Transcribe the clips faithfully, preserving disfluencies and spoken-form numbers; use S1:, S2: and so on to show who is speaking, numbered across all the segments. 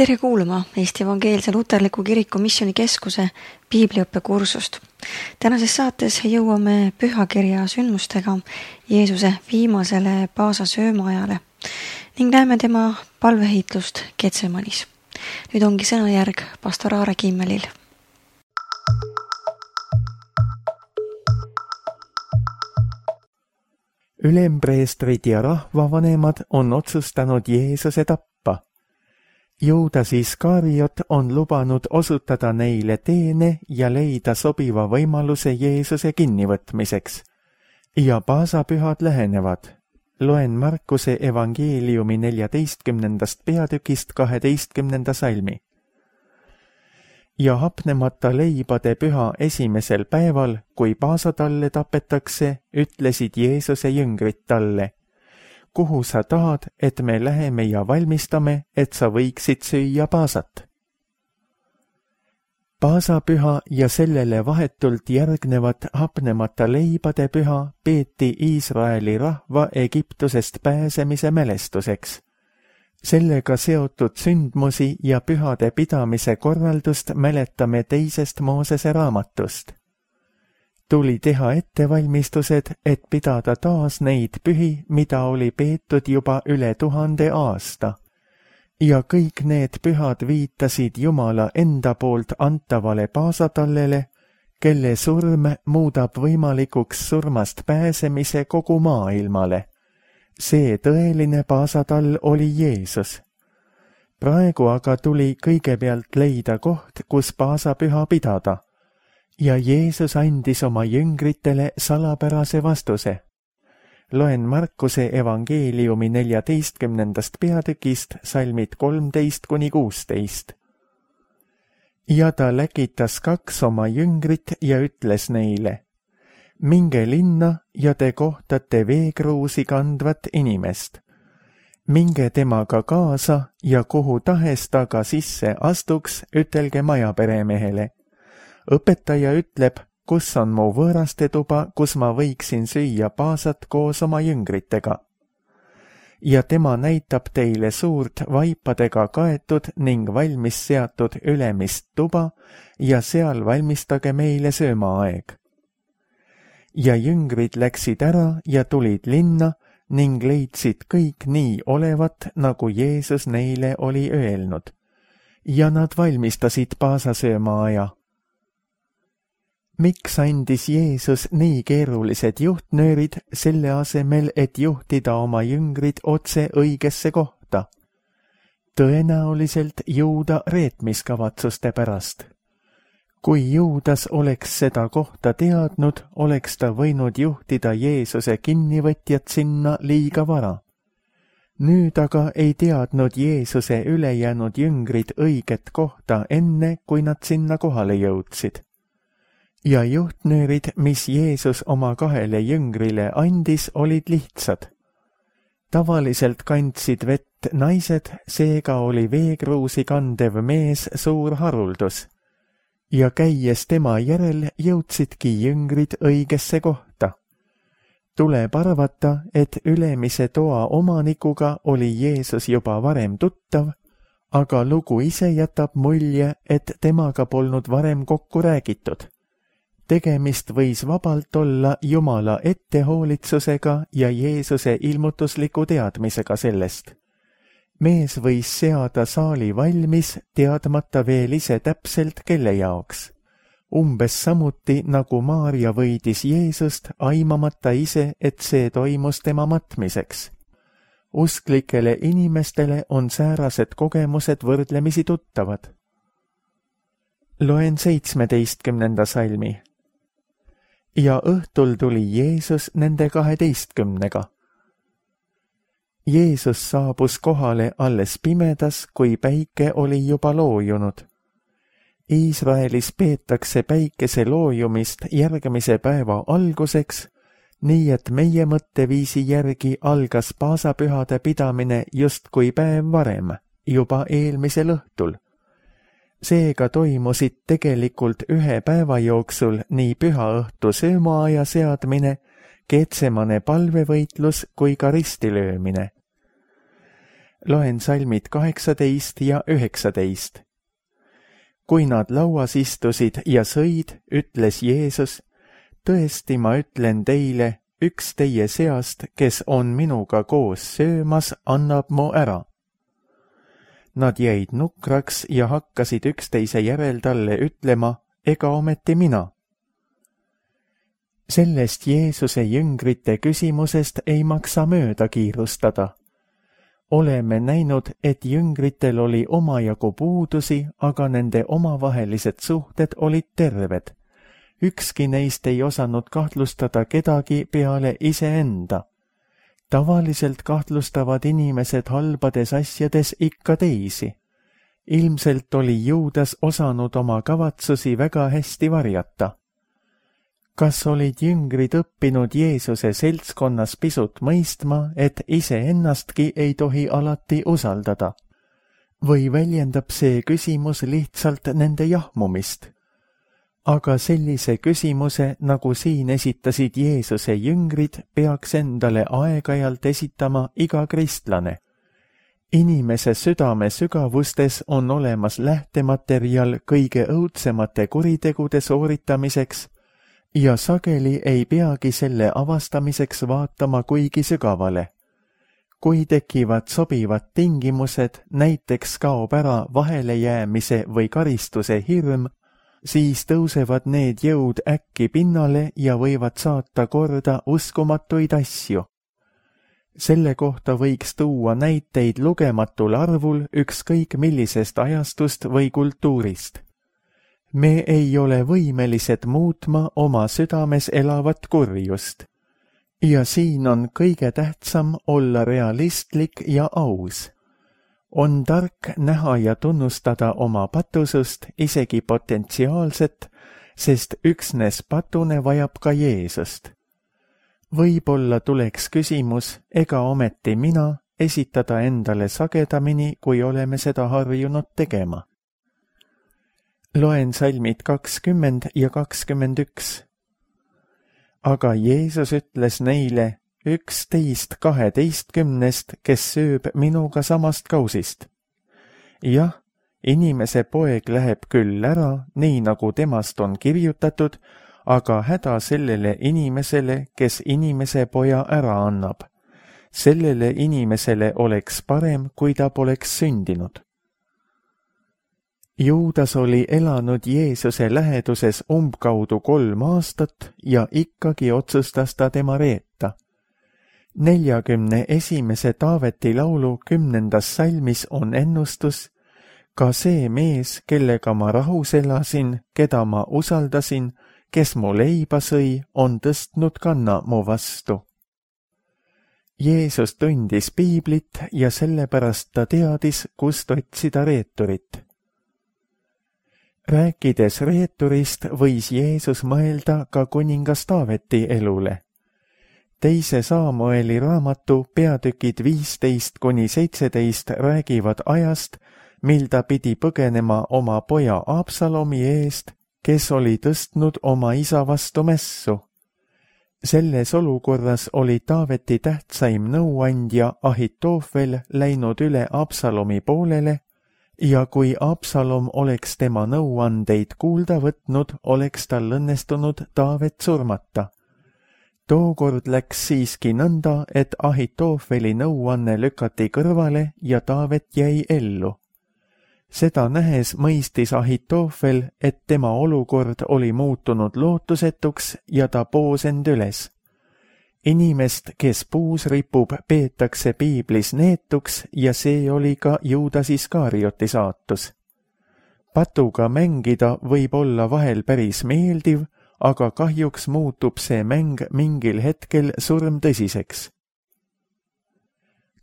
S1: Tere kuulama Eesti Evangeelse Luterliku Kiriku Missioonikeskuse piibliõppekursust. Tänases saates jõuame pühakirja sündmustega Jeesuse viimasele Paasa söömaajale ning näeme tema palveheitlust Getsemanis. Nüüd ongi sõnajärg pastor Aare Kimmelil.
S2: Ülempreestrid ja rahvavanemad on otsustanud Jeesuse tappa. Juudas Iskariot on lubanud osutada neile teene ja leida sobiva võimaluse Jeesuse kinnivõtmiseks. Ja paasapühad lähenevad. Loen Markuse evangeeliumi neljateistkümnendast peatükist kaheteistkümnenda salmi. Ja hapnemata leibade püha esimesel päeval, kui paasatalle tapetakse, ütlesid Jeesuse jüngrid talle: kuhu sa tahad, et me läheme ja valmistame, et sa võiksid süüa paasat? Paasapüha ja sellele vahetult järgnevat hapnemata leibade püha peeti Iisraeli rahva Egiptusest pääsemise mälestuseks. Sellega seotud sündmusi ja pühade pidamise korraldust mäletame teisest Moosese raamatust. Tuli teha ettevalmistused, et pidada taas neid pühi, mida oli peetud juba üle tuhande aasta. Ja kõik need pühad viitasid Jumala enda poolt antavale paasatallele, kelle surm muudab võimalikuks surmast pääsemise kogu maailmale. See tõeline paasatall oli Jeesus. Praegu aga tuli kõigepealt leida koht, kus paasapüha pidada. Ja Jeesus andis oma jüngritele salapärase vastuse. Loen Markuse evangeeliumi neljateistkümnendast peatükist salmid kolmteist kuni kuusteist. Ja ta läkitas kaks oma jüngrit ja ütles neile: minge linna ja te kohtate veekruusi kandvat inimest. Minge temaga kaasa ja kuhu tahes ta ka sisse astuks, ütelge majaperemehele: õpetaja ütleb, kus on mu võõraste tuba, kus ma võiksin süüa paasat koos oma jüngritega. Ja tema näitab teile suurt vaipadega kaetud ning valmis seatud ülemist tuba ja seal valmistage meile söömaaeg. Ja jüngrid läksid ära ja tulid linna ning leidsid kõik nii olevat, nagu Jeesus neile oli öelnud. Ja nad valmistasid paasasöömaaja. Miks andis Jeesus nii keerulised juhtnöörid selle asemel, et juhtida oma jüngrid otse õigesse kohta? Tõenäoliselt Juuda reetmiskavatsuste pärast. Kui Juudas oleks seda kohta teadnud, oleks ta võinud juhtida Jeesuse kinnivõtjat sinna liiga vara. Nüüd aga ei teadnud Jeesuse ülejäänud jüngrid õiget kohta enne, kui nad sinna kohale jõudsid. Ja juhtnöörid, mis Jeesus oma kahele jüngrile andis, olid lihtsad. Tavaliselt kandsid vett naised, seega oli veekruusi kandev mees suur haruldus. Ja käies tema järel jõudsidki jüngrid õigesse kohta. Tuleb arvata, et ülemise toa omanikuga oli Jeesus juba varem tuttav, aga lugu ise jätab mulje, et temaga polnud varem kokku räägitud. Tegemist võis vabalt olla Jumala ettehoolitsusega ja Jeesuse ilmutusliku teadmisega sellest. Mees võis seada saali valmis, teadmata veel ise täpselt, kelle jaoks. Umbes samuti nagu Maarja võidis Jeesust, aimamata ise, et see toimus tema matmiseks. Usklikele inimestele on säärased kogemused võrdlemisi tuttavad. Loen seitsmeteistkümnenda salmi. Ja õhtul tuli Jeesus nende kaheteistkümnega. Jeesus saabus kohale alles pimedas, kui päike oli juba loojunud. Iisraelis peetakse päikese loojumist järgmise päeva alguseks, nii et meie mõtteviisi järgi algas paasapühade pidamine justkui päev varem, juba eelmisel õhtul. Seega toimusid tegelikult ühe päeva jooksul nii pühaõhtu söömaaja seadmine, Getsemane palvevõitlus kui ka ristilöömine. Loen salmid kaheksateist ja üheksateist. Kui nad lauas istusid ja sõid, ütles Jeesus, tõesti ma ütlen teile, üks teie seast, kes on minuga koos söömas, annab mu ära. Nad jäid nukraks ja hakkasid üksteise järel talle ütlema, ega ometi mina. Sellest Jeesuse jüngrite küsimusest ei maksa mööda kiirustada. Oleme näinud, et jüngritel oli omajagu puudusi, aga nende omavahelised suhted olid terved. Ükski neist ei osanud kahtlustada kedagi peale iseenda. Tavaliselt kahtlustavad inimesed halbades asjades ikka teisi. Ilmselt oli Juudas osanud oma kavatsusi väga hästi varjata. Kas olid jüngrid õppinud Jeesuse seltskonnas pisut mõistma, et iseennastki ei tohi alati usaldada? Või väljendab see küsimus lihtsalt nende jahmumist? Aga sellise küsimuse, nagu siin esitasid Jeesuse jüngrid, peaks endale aeg-ajalt esitama iga kristlane. Inimese südame sügavustes on olemas lähtematerjal kõige õudsemate kuritegude sooritamiseks, ja sageli ei peagi selle avastamiseks vaatama kuigi sügavale. Kui tekivad sobivad tingimused, näiteks kaob ära vahelejäämise või karistuse hirm, siis tõusevad need jõud äkki pinnale ja võivad saata korda uskumatuid asju. Selle kohta võiks tuua näiteid lugematul arvul ükskõik millisest ajastust või kultuurist. Me ei ole võimelised muutma oma südames elavat kurjust. Ja siin on kõige tähtsam olla realistlik ja aus. On tark näha ja tunnustada oma patusust, isegi potentsiaalset, sest üksnes patune vajab ka Jeesust. Võib-olla tuleks küsimus, ega ometi mina, esitada endale sagedamini, kui oleme seda harjunud tegema. Loen salmid kakskümmend ja kakskümmend üks. Aga Jeesus ütles neile, üksteist kaheteistkümnest, kes sööb minuga samast kausist. Jah, inimese poeg läheb küll ära, nii nagu temast on kirjutatud, aga häda sellele inimesele, kes inimese poja ära annab. Sellele inimesele oleks parem, kui ta poleks sündinud. Juudas oli elanud Jeesuse läheduses umbkaudu kolm aastat ja ikkagi otsustas ta tema reeta. neljakümne esimese Taaveti laulu kümnendas salmis on ennustus, ka see mees, kellega ma rahus elasin, keda ma usaldasin, kes mu leiba sõi, on tõstnud kanna mu vastu. Jeesus tundis piiblit ja sellepärast ta teadis, kust otsida reeturit. Rääkides reeturist võis Jeesus mõelda ka kuningas Taaveti elule. Teise Saamueli raamatu peatükid viisteist kuni seitseteist räägivad ajast, mil ta pidi põgenema oma poja Absalomi eest, kes oli tõstnud oma isa vastu mässu. Selles olukorras oli Taaveti tähtsaim nõuandja Ahitoofel läinud üle Absalomi poolele, ja kui Absalom oleks tema nõuandeid kuulda võtnud, oleks tal õnnestunud Taavet surmata. Tookord läks siiski nõnda, et Ahitoofeli nõuanne lükati kõrvale ja Taavet jäi ellu. Seda nähes mõistis Ahitoofel, et tema olukord oli muutunud lootusetuks ja ta poos end üles. Inimest, kes puus ripub, peetakse piiblis neetuks ja see oli ka Juudas Iskarioti saatus. Patuga mängida võib olla vahel päris meeldiv, aga kahjuks muutub see mäng mingil hetkel surmtõsiseks.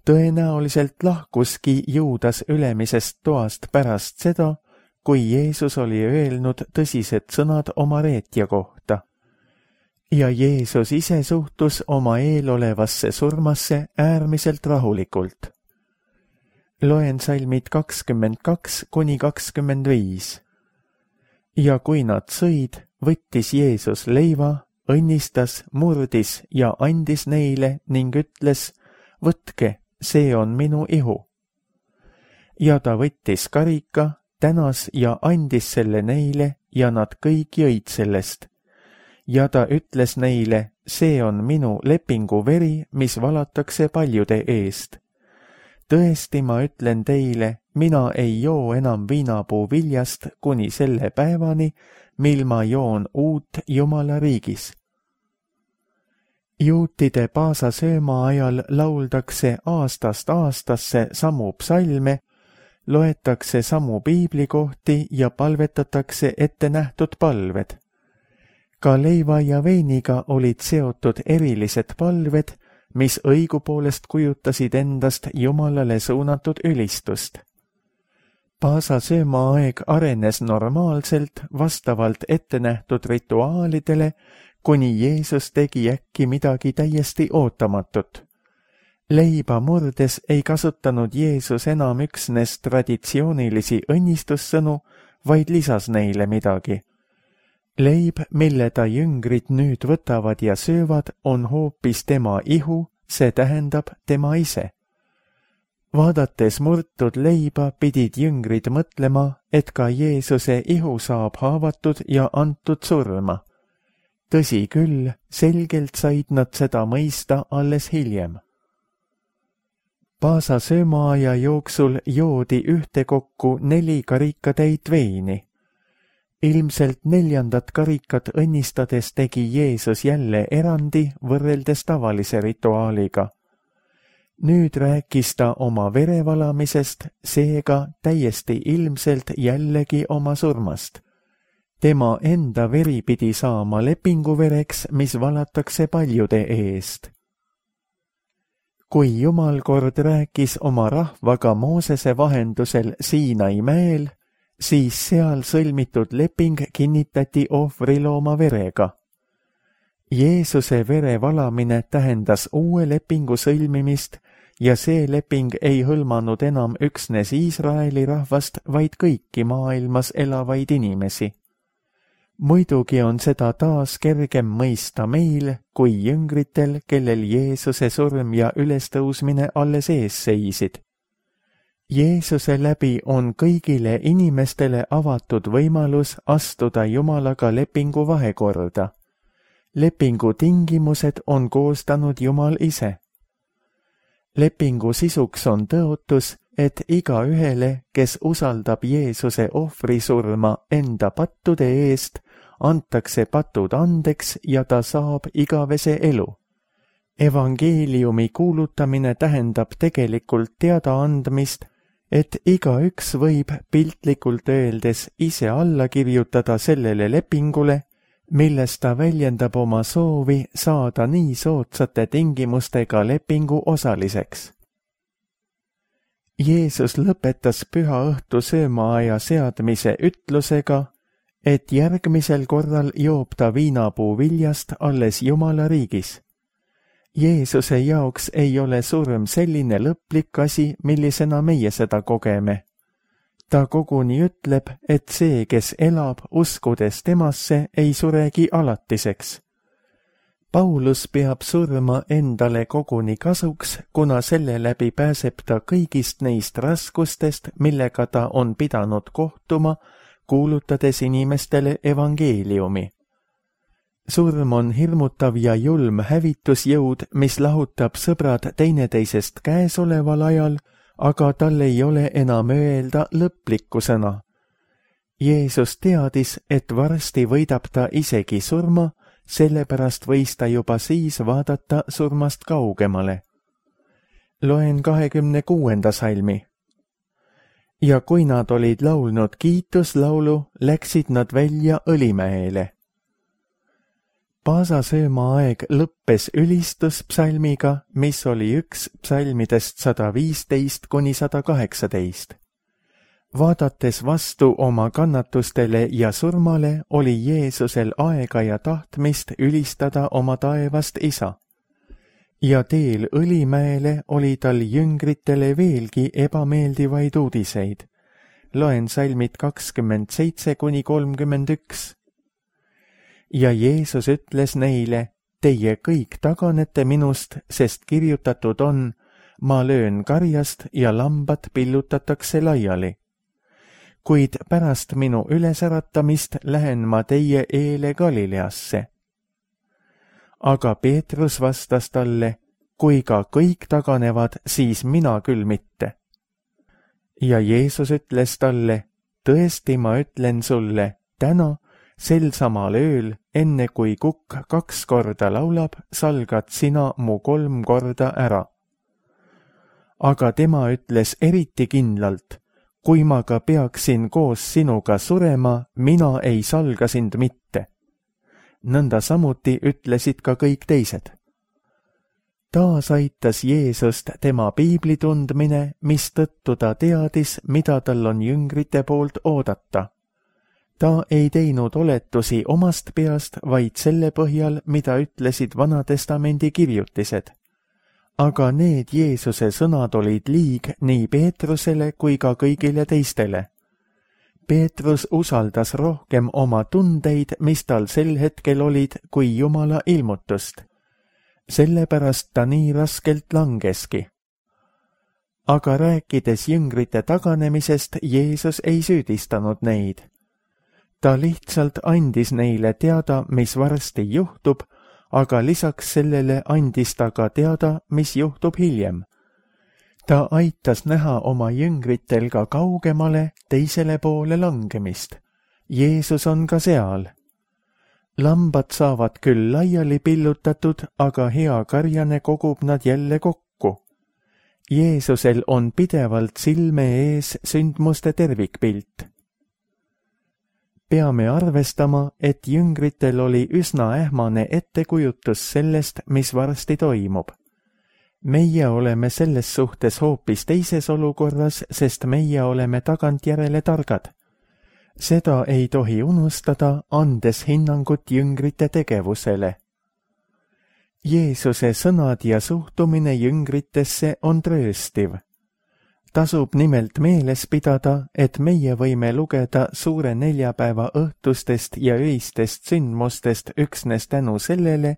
S2: Tõenäoliselt lahkuski Juudas ülemisest toast pärast seda, kui Jeesus oli öelnud tõsised sõnad oma reetja kohta. Ja Jeesus ise suhtus oma eelolevasse surmasse äärmiselt rahulikult. Loen salmid kakskümmend kaks kuni kakskümmend viis. Ja kui nad sõid, võttis Jeesus leiva, õnnistas, murdis ja andis neile ning ütles, võtke, see on minu ihu, ja ta võttis karika, tänas ja andis selle neile ja nad kõik jõid sellest. Ja ta ütles neile, see on minu lepingu veri, mis valatakse paljude eest. Tõesti, ma ütlen teile, mina ei joo enam viinapuu viljast kuni selle päevani, mil ma joon uut Jumala riigis. Juutide paasasööma ajal lauldakse aastast aastasse samu psalme, loetakse samu piiblikohti ja palvetatakse ette nähtud palved. Ka leiva ja veiniga olid seotud erilised palved, mis õigupoolest kujutasid endast Jumalale suunatud ülistust. Paasasööma aeg arenes normaalselt vastavalt ette nähtud rituaalidele, kuni Jeesus tegi äkki midagi täiesti ootamatut. Leiba murdes ei kasutanud Jeesus enam üksnes traditsioonilisi õnnistussõnu, vaid lisas neile midagi. Leib, mille ta jüngrid nüüd võtavad ja söövad, on hoopis tema ihu, see tähendab tema ise. Vaadates murtud leiba pidid jüngrid mõtlema, et ka Jeesuse ihu saab haavatud ja antud surma. Tõsi küll, selgelt said nad seda mõista alles hiljem. Paasasöömaaja jooksul joodi ühtekokku neli karikatäit veini. Ilmselt neljandat karikat õnnistades tegi Jeesus jälle erandi võrreldes tavalise rituaaliga. Nüüd rääkis ta oma verevalamisest, seega täiesti ilmselt jällegi oma surmast. Tema enda veri pidi saama lepinguvereks, mis valatakse paljude eest. Kui Jumal kord rääkis oma rahvaga Moosese vahendusel Siinai mäel, siis seal sõlmitud leping kinnitati ohvrilooma verega. Jeesuse vere valamine tähendas uue lepingu sõlmimist ja see leping ei hõlmanud enam üksnes Iisraeli rahvast, vaid kõiki maailmas elavaid inimesi. Muidugi on seda taas kergem mõista meil kui jüngritel, kellel Jeesuse surm ja ülestõusmine alles ees seisid. Jeesuse läbi on kõigile inimestele avatud võimalus astuda Jumalaga lepingu vahekorda. Lepingu tingimused on koostanud Jumal ise. Lepingu sisuks on tõotus, et igaühele, kes usaldab Jeesuse ohvrisurma enda pattude eest, antakse patud andeks ja ta saab igavese elu. Evangeeliumi kuulutamine tähendab tegelikult teadaandmist, et igaüks võib piltlikult öeldes ise alla kirjutada sellele lepingule, milles ta väljendab oma soovi saada nii soodsate tingimustega lepingu osaliseks. Jeesus lõpetas püha õhtu söömaaja seadmise ütlusega, et järgmisel korral joob ta viinapuu viljast alles Jumala riigis. Jeesuse jaoks ei ole surm selline lõplik asi, millisena meie seda kogeme. Ta koguni ütleb, et see, kes elab uskudes temasse, ei suregi alatiseks. Paulus peab surma endale koguni kasuks, kuna selle läbi pääseb ta kõigist neist raskustest, millega ta on pidanud kohtuma, kuulutades inimestele evangeeliumi. Surm on hirmutav ja julm hävitusjõud, mis lahutab sõbrad teineteisest käesoleval ajal, aga tal ei ole enam öelda lõplikku sõna. Jeesus teadis, et varsti võidab ta isegi surma, sellepärast võis ta juba siis vaadata surmast kaugemale. Loen kahekümne kuuenda salmi. Ja kui nad olid laulnud kiituslaulu, läksid nad välja Õlimäele. Paasasööma aeg lõppes ülistuspsalmiga, mis oli üks psalmidest sada viisteist kuni sada kaheksateist. Vaadates vastu oma kannatustele ja surmale, oli Jeesusel aega ja tahtmist ülistada oma taevast isa. Ja teel Õlimäele oli tal jüngritele veelgi ebameeldivaid uudiseid. Loen salmid kakskümmend seitse kuni kolmkümmend üks. Ja Jeesus ütles neile, teie kõik taganete minust, sest kirjutatud on, ma löön karjast ja lambad pillutatakse laiali. Kuid pärast minu ülesäratamist lähen ma teie eele Galileasse. Aga Peetrus vastas talle, kui ka kõik taganevad, siis mina küll mitte. Ja Jeesus ütles talle, tõesti ma ütlen sulle, täna, sel samal ööl, enne kui kukk kaks korda laulab, salgad sina mu kolm korda ära. Aga tema ütles eriti kindlalt, kui ma ka peaksin koos sinuga surema, mina ei salga sind mitte. Nõnda samuti ütlesid ka kõik teised. Taas aitas Jeesust tema piibli tundmine, mistõttu ta teadis, mida tal on jüngrite poolt oodata. Ta ei teinud oletusi omast peast, vaid selle põhjal, mida ütlesid Vanatestamendi kirjutised. Aga need Jeesuse sõnad olid liig nii Peetrusele kui ka kõigile teistele. Peetrus usaldas rohkem oma tundeid, mis tal sel hetkel olid, kui Jumala ilmutust. Sellepärast ta nii raskelt langeski. Aga rääkides jüngrite taganemisest, Jeesus ei süüdistanud neid. Ta lihtsalt andis neile teada, mis varsti juhtub, aga lisaks sellele andis ta ka teada, mis juhtub hiljem. Ta aitas näha oma jüngritel ka kaugemale teisele poole langemist. Jeesus on ka seal. Lambad saavad küll laiali pillutatud, aga hea karjane kogub nad jälle kokku. Jeesusel on pidevalt silme ees sündmuste tervikpilt. Peame arvestama, et jüngritel oli üsna ähmane ettekujutus sellest, mis varsti toimub. Meie oleme selles suhtes hoopis teises olukorras, sest meie oleme tagantjärele targad. Seda ei tohi unustada, andes hinnangut jüngrite tegevusele. Jeesuse sõnad ja suhtumine jüngritesse on trööstiv. Tasub nimelt meeles pidada, et meie võime lugeda suure neljapäeva õhtustest ja öistest sündmustest üksnes tänu sellele,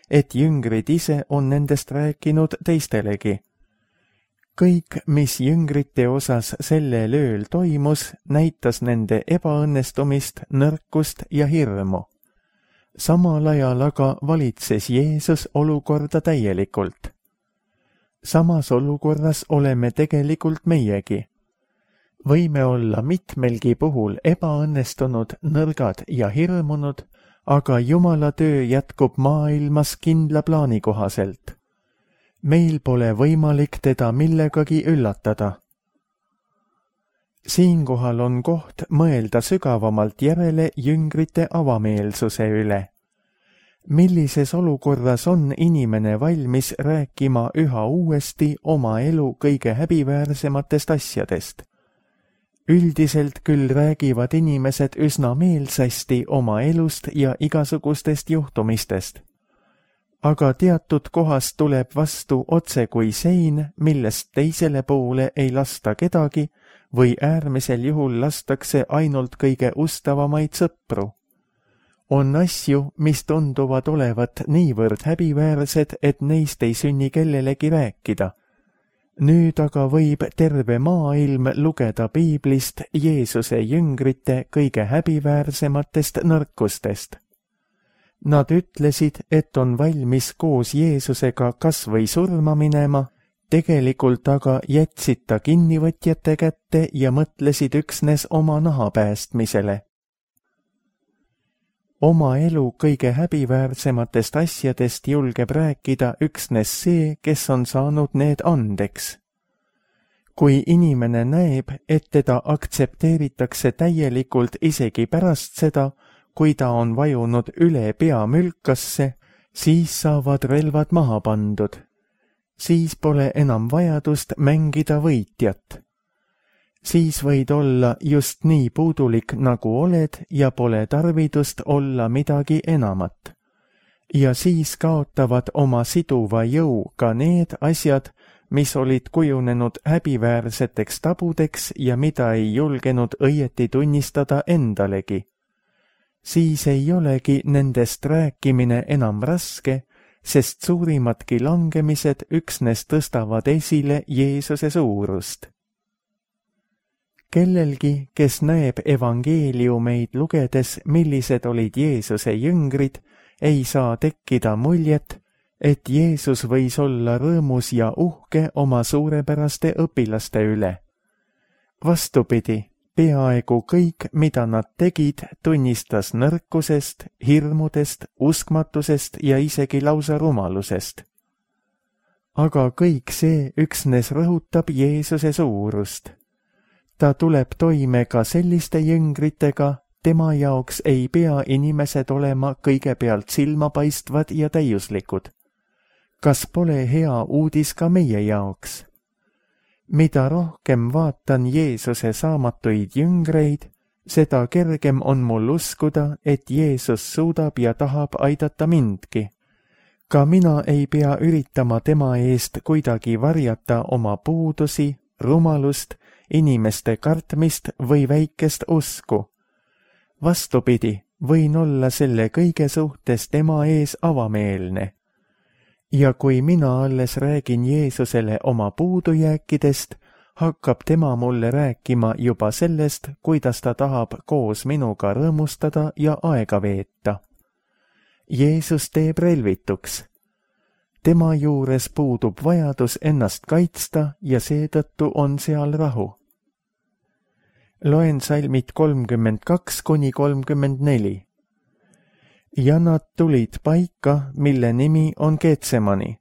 S2: et jüngrid ise on nendest rääkinud teistelegi. Kõik, mis jüngrite osas sellel ööl toimus, näitas nende ebaõnnestumist, nõrkust ja hirmu. Samal ajal aga valitses Jeesus olukorda täielikult. Samas olukorras oleme tegelikult meiegi. Võime olla mitmelgi puhul ebaõnnestunud, nõrgad ja hirmunud, aga Jumala töö jätkub maailmas kindla plaani kohaselt. Meil pole võimalik teda millegagi üllatada. Siinkohal on koht mõelda sügavamalt järele jüngrite avameelsuse üle. Millises olukorras on inimene valmis rääkima üha uuesti oma elu kõige häbiväärsematest asjadest? Üldiselt küll räägivad inimesed üsna meelsasti oma elust ja igasugustest juhtumistest. Aga teatud kohast tuleb vastu otse kui sein, millest teisele poole ei lasta kedagi või äärmisel juhul lastakse ainult kõige ustavamaid sõpru. On asju, mis tunduvad olevat niivõrd häbiväärsed, et neist ei sünni kellelegi rääkida. Nüüd aga võib terve maailm lugeda piiblist Jeesuse jüngrite kõige häbiväärsematest nõrkustest. Nad ütlesid, et on valmis koos Jeesusega kas või surma minema, tegelikult aga jätsid ta kinnivõtjate kätte ja mõtlesid üksnes oma naha päästmisele. Oma elu kõige häbiväärsematest asjadest julgeb rääkida üksnes see, kes on saanud need andeks. Kui inimene näeb, et teda aktsepteeritakse täielikult isegi pärast seda, kui ta on vajunud üle pea mülkasse, siis saavad relvad maha pandud. Siis pole enam vajadust mängida võitjat. Siis võid olla just nii puudulik, nagu oled, ja pole tarvidust olla midagi enamat. Ja siis kaotavad oma siduva jõu ka need asjad, mis olid kujunenud häbiväärseteks tabudeks ja mida ei julgenud õieti tunnistada endalegi. Siis ei olegi nendest rääkimine enam raske, sest suurimadki langemised üksnes tõstavad esile Jeesuse suurust. Kellelgi, kes näeb evangeeliumeid lugedes, millised olid Jeesuse jüngrid, ei saa tekkida muljet, et Jeesus võis olla rõõmus ja uhke oma suurepäraste õpilaste üle. Vastupidi, peaaegu kõik, mida nad tegid, tunnistas nõrkusest, hirmudest, uskmatusest ja isegi lausa rumalusest. Aga kõik see üksnes rõhutab Jeesuse suurust. Ta tuleb toime ka selliste jüngritega, tema jaoks ei pea inimesed olema kõigepealt silmapaistvad ja täiuslikud. Kas pole hea uudis ka meie jaoks? Mida rohkem vaatan Jeesuse saamatuid jüngreid, seda kergem on mul uskuda, et Jeesus suudab ja tahab aidata mindki. Ka mina ei pea üritama tema eest kuidagi varjata oma puudusi, rumalust, inimeste kartmist või väikest usku. Vastupidi, võin olla selle kõige suhtes tema ees avameelne. Ja kui mina alles räägin Jeesusele oma puudujääkidest, hakkab tema mulle rääkima juba sellest, kuidas ta tahab koos minuga rõõmustada ja aega veeta. Jeesus teeb relvituks. Tema juures puudub vajadus ennast kaitsta ja seetõttu on seal rahu. Loen salmid kolmkümmend kaks kuni kolmkümmend neli. Ja nad tulid paika, mille nimi on Getsemani.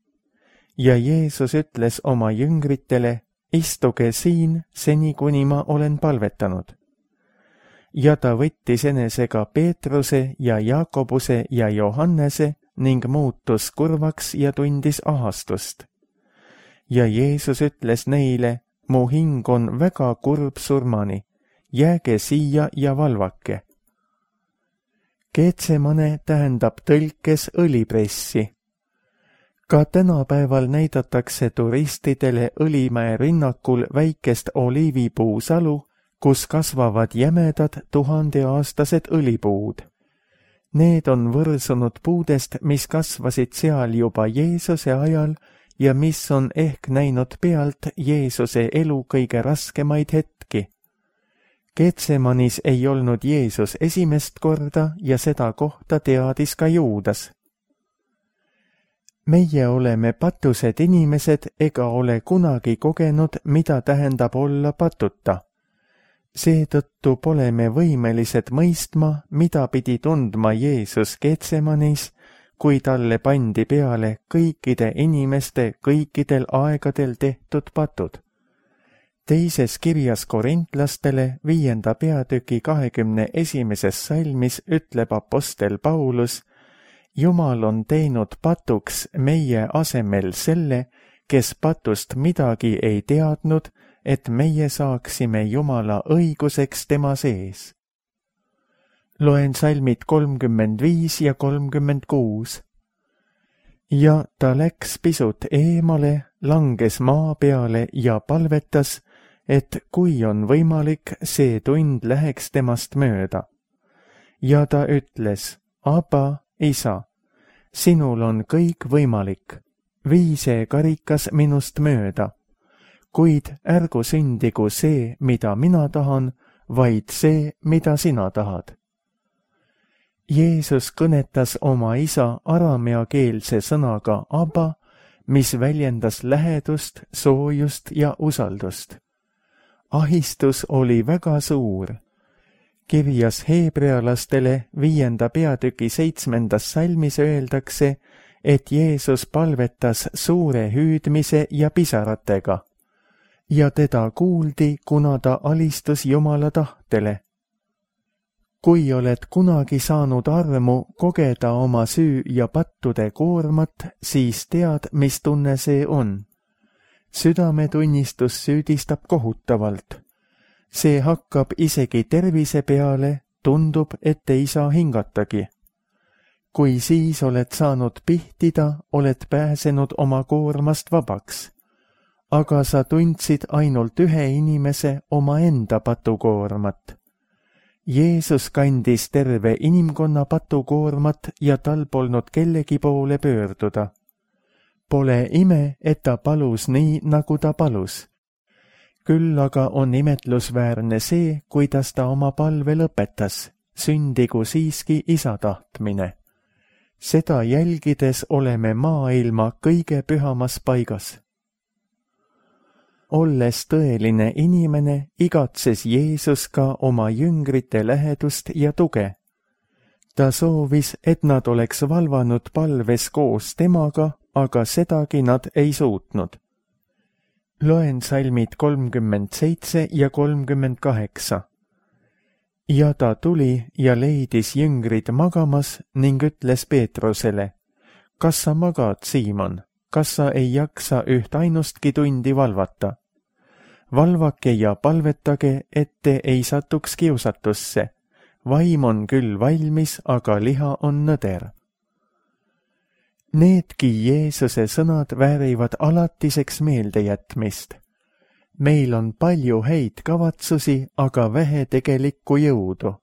S2: Ja Jeesus ütles oma jüngritele, istuge siin, seni kuni ma olen palvetanud. Ja ta võttis enesega Peetruse ja Jaakobuse ja Johannese ning muutus kurvaks ja tundis ahastust. Ja Jeesus ütles neile, mu hing on väga kurb surmani, jääge siia ja valvake. Getsemane tähendab tõlkes õlipressi. Ka tänapäeval näidatakse turistidele Õlimäe rinnakul väikest oliivipuusalu, kus kasvavad jämedad tuhandeaastased õlipuud. Need on võrsunud puudest, mis kasvasid seal juba Jeesuse ajal ja mis on ehk näinud pealt Jeesuse elu kõige raskemaid hetki. Getsemanis ei olnud Jeesus esimest korda ja seda kohta teadis ka Juudas. Meie oleme patused inimesed ega ole kunagi kogenud, mida tähendab olla patuta. Seetõttu pole me võimelised mõistma, mida pidi tundma Jeesus Getsemanis, kui talle pandi peale kõikide inimeste kõikidel aegadel tehtud patud. Teises kirjas korintlastele viienda peatüki kahekümne esimeses salmis ütleb apostel Paulus, Jumal on teinud patuks meie asemel selle, kes patust midagi ei teadnud, et meie saaksime Jumala õiguseks tema sees. Loen salmid kolmkümmend viis ja kolmkümmend kuus. Ja ta läks pisut eemale, langes maa peale ja palvetas, et kui on võimalik, see tund läheks temast mööda. Ja ta ütles, Aba, isa, sinul on kõik võimalik, vii see karikas minust mööda, kuid ärgu sündigu see, mida mina tahan, vaid see, mida sina tahad. Jeesus kõnetas oma isa arameakeelse sõnaga Aba, mis väljendas lähedust, soojust ja usaldust. Ahistus oli väga suur. Kirjas heebrealastele viienda peatüki seitsmendas salmis öeldakse, et Jeesus palvetas suure hüüdmise ja pisaratega. Ja teda kuuldi, kuna ta alistus Jumala tahtele. Kui oled kunagi saanud armu kogeda oma süü ja pattude koormat, siis tead, mis tunne see on. Südametunnistus süüdistab kohutavalt. See hakkab isegi tervise peale, tundub, et ei saa hingatagi. Kui siis oled saanud pihtida, oled pääsenud oma koormast vabaks. Aga sa tundsid ainult ühe inimese oma enda patukoormat. Jeesus kandis terve inimkonna patukoormat ja tal polnud kellegi poole pöörduda. Pole ime, et ta palus nii, nagu ta palus. Küll aga on imetlusväärne see, kuidas ta oma palve lõpetas, sündigu siiski isa tahtmine. Seda jälgides oleme maailma kõige pühamas paigas. Olles tõeline inimene, igatses Jeesus ka oma jüngrite lähedust ja tuge. Ta soovis, et nad oleks valvanud palves koos temaga, aga sedagi nad ei suutnud. Loen salmid kolmkümmend seitse ja kolmkümmend kaheksa. Ja ta tuli ja leidis jüngrid magamas ning ütles Peetrusele, kas sa magad, Siimon, kas sa ei jaksa üht ainustki tundi valvata? Valvake ja palvetage, et te ei satuks kiusatusse. Vaim on küll valmis, aga liha on nõder. Needki Jeesuse sõnad väärivad alatiseks meeldejätmist. Meil on palju häid kavatsusi, aga vähe tegelikku jõudu.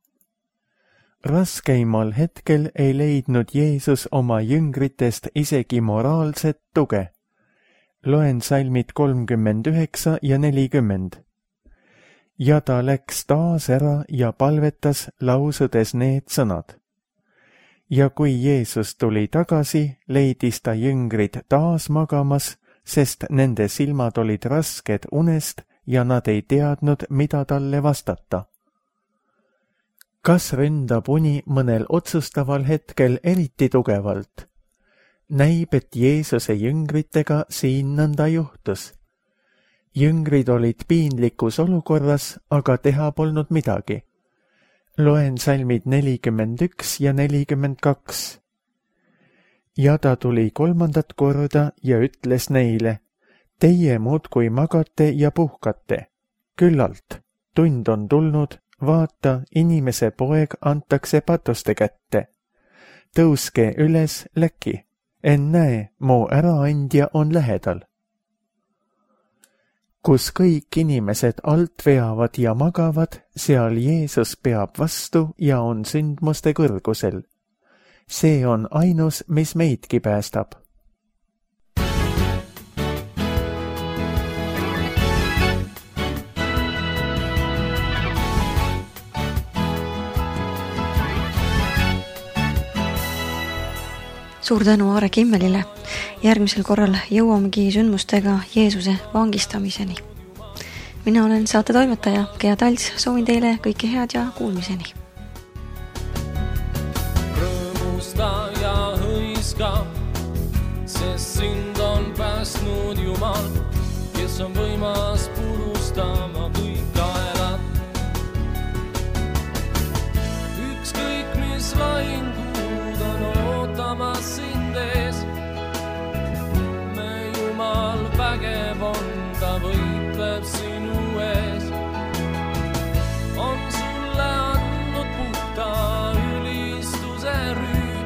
S2: Raskeimal hetkel ei leidnud Jeesus oma jüngritest isegi moraalset tuge. Loen salmid kolmkümmend üheksa ja nelikümmend. Ja ta läks taas ära ja palvetas, lausudes need sõnad. Ja kui Jeesus tuli tagasi, leidis ta jüngrid taas magamas, sest nende silmad olid rasked unest ja nad ei teadnud, mida talle vastata. Kas ründab uni mõnel otsustaval hetkel eriti tugevalt? Näib, et Jeesuse jüngritega siin nõnda juhtus. Jüngrid olid piinlikus olukorras, aga teha polnud midagi. Loen salmid nelikümmend üks ja nelikümmend kaks. Ja ta tuli kolmandat korda ja ütles neile, teie muudkui magate ja puhkate. Küllalt, tund on tulnud, vaata, inimese poeg antakse patuste kätte. Tõuske üles, läki. Ennäe, mu äraandja on lähedal. Kus kõik inimesed alt veavad ja magavad, seal Jeesus peab vastu ja on sündmuste kõrgusel. See on ainus, mis meidki päästab.
S1: Suur tänu Aare Kimmelile. Järgmisel korral jõuamegi sündmustega Jeesuse vangistamiseni. Mina olen saate toimetaja Gea Talts, soovin teile kõike head ja kuulmiseni.
S3: Rõõmusta ja hõiska, sest sind on päästnud Jumal, kes on võimas purustama kõik kaelad. Ükskõik mis lahingud on ootamas sind ees, me Jumal vägev on, ta võitleb sinu ees. On sulle andnud puhta ülistuse rüü,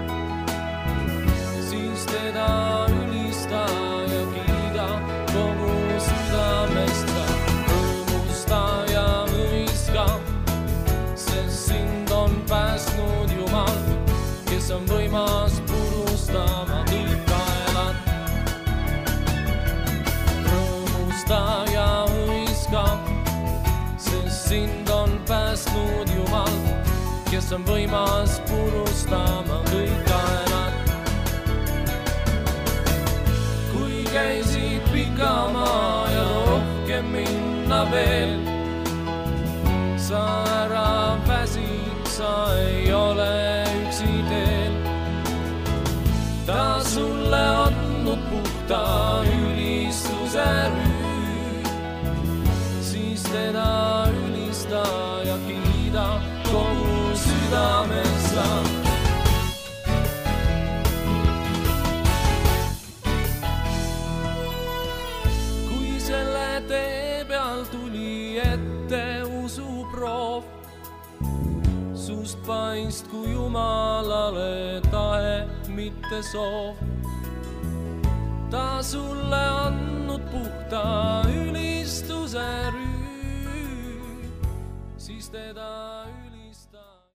S3: siis teda ülista ja kiida kogu südamest ka. Rõõmusta ja mõiska, sest sind on päästnud Jumal, kes on võimas purustama kõik kaelad. Rõõmusta ja hõiska, sest sind on päästnud Jumal, kes on võimas purustama kõik kaelad. Kui käisid pika maa ja rohkem minna veel, sa ära väsid, sa ei ole üksi teel. Ta sulle andnud puhta ülistuse rüü, siis teda ülista ja kiida kogu südames sa. Kui selle tee peal tuli ette usuproov, sust paistku Jumalale tahe, mitte soov. Ta sulle andnud puhta ülistuse rüü, siis teda